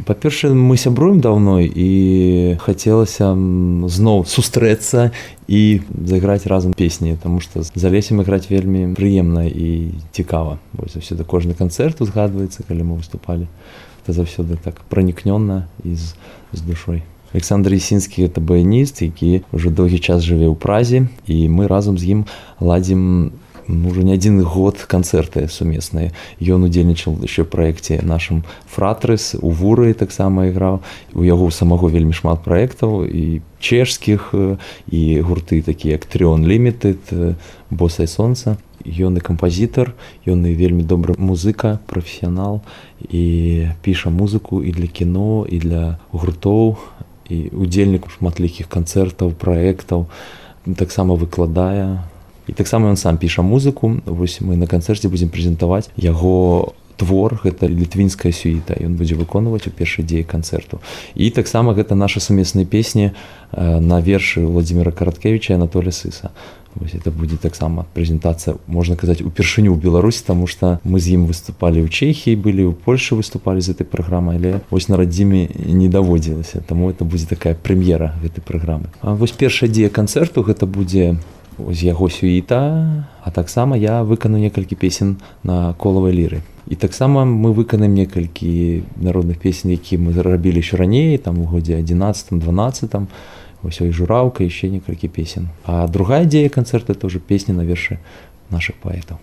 Па-першае, мы сябруем даўно і хацелася зноў сустрэцца і зайграць разам песні, таму што з Алесем іграць вельмі прыемна і цікава. Вось заўсёды кожны канцэрт узгадваецца, калі мы выступалі. Это заўсёды так пранікнёна і з душой. Александр Ясінскі — гэта баяніст, які ўжо доўгі час жыве ў Празе, і мы разам з ім ладзім уже не адзін год канцэрты сумесныя. Ён удзельнічаў яшчэ ў праекце нашым «Фратрыс», у Вуры таксама іграў. У яго самого вельмі шмат праектаў, і чэшскіх, і гурты такія як «Трион Лімітэд», «Босае сонца». Ён і кампазітар, ён і вельмі добры музыка, прафесіянал, і піша музыку і для кіно, і для гуртоў, і удзельнік шматлікіх канцэртаў, праектаў, таксама выкладае. І таксама ён сам піша музыку. Вось мы на канцэрце будзем прэзентаваць яго твор, гэта літвінская сюіта. Ён будзе выконваць у першай дзеі канцэрту. І таксама гэта наша сумесныя песні на вершы Владзіміра Караткевіча і Анатолія Сыса. Вось это будзе таксама прэзентацыя, можна казаць, упершыню ў Беларусі, таму што мы з ім выступалі ў Чэхіі, былі ў Польшы, выступалі з гэтай праграмай, але вось на радзіме не даводзілася, таму это будзе такая прэм'ера гэтай праграмы. А вось першая дзея канцэрту гэта будзе з яго сюіта, а таксама я выкану некалькі песен на колавай ліры. І таксама мы выканаем некалькі народных песен, які мы рабілі яшчэ раней, там у годзе 11-12, вось і «Жураўка», яшчэ некалькі песен. А другая дзея канцэрта — это ўжо песні на вершы нашых паэтаў.